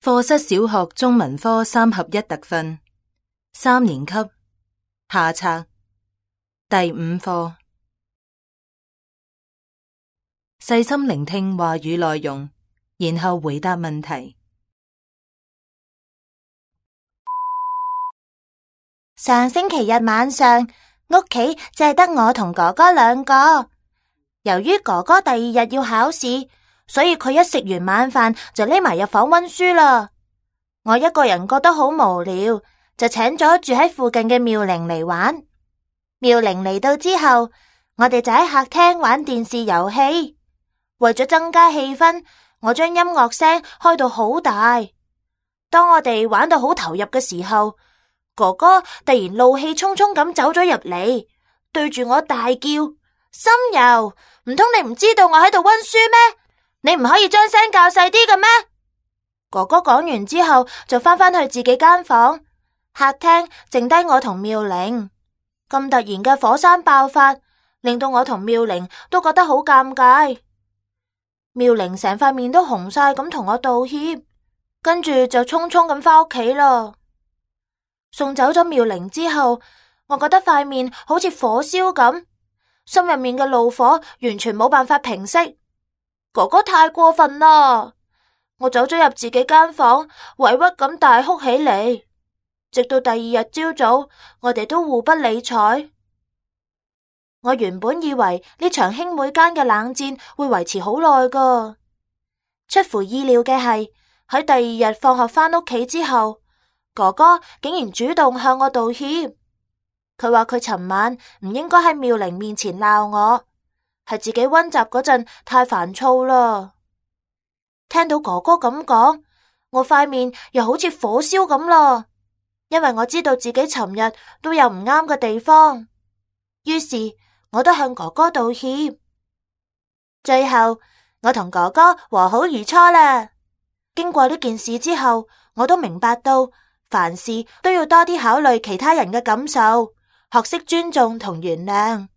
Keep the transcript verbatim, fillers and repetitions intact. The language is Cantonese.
課室小學中文科三合一特訓，三年級下冊第五課。細心聆聽話語內容，然後回答問題。上星期日晚上，屋企淨係得我同哥哥兩個。由於哥哥第二日要考試，所以佢一食完晚飯就匿埋入房溫書啦。我一個人覺得好無聊，就請咗住喺附近嘅妙玲嚟玩。妙玲嚟到之後，我哋就喺客廳玩電視遊戲。為咗增加氣氛，我將音樂聲開到好大。當我哋玩到好投入嘅時候，哥哥突然怒氣沖沖咁走咗入嚟，對住我大叫：心柔，唔通你唔知道我喺度溫書咩？你唔可以將聲較細啲嘅咩？哥哥講完之後就翻返去自己間房，客廳剩低我同妙玲。咁突然嘅火山爆發，令到我同妙玲都覺得好尷尬。妙玲成塊面都紅晒咁同我道歉，跟住就匆匆咁翻屋企啦。送走咗妙玲之後，我覺得塊面好似火燒咁，心入面嘅怒火完全冇辦法平息。哥哥太過分啦！我走咗入自己間房，委屈咁大哭起嚟。直到第二日朝早，我哋都互不理睬。我原本以為呢場兄妹間嘅冷戰會維持好耐噶，出乎意料嘅係喺第二日放學翻屋企之後，哥哥竟然主動向我道歉。佢話佢尋晚唔應該喺妙玲面前鬧我，係自己溫習嗰陣太煩躁啦。聽到哥哥咁講，我塊面又好似火燒咁啦，因為我知道自己尋日都有唔啱嘅地方，於是我都向哥哥道歉。最後我同哥哥和好如初啦。經過呢件事之後，我都明白到凡事都要多啲考慮其他人嘅感受，學識尊重同原諒。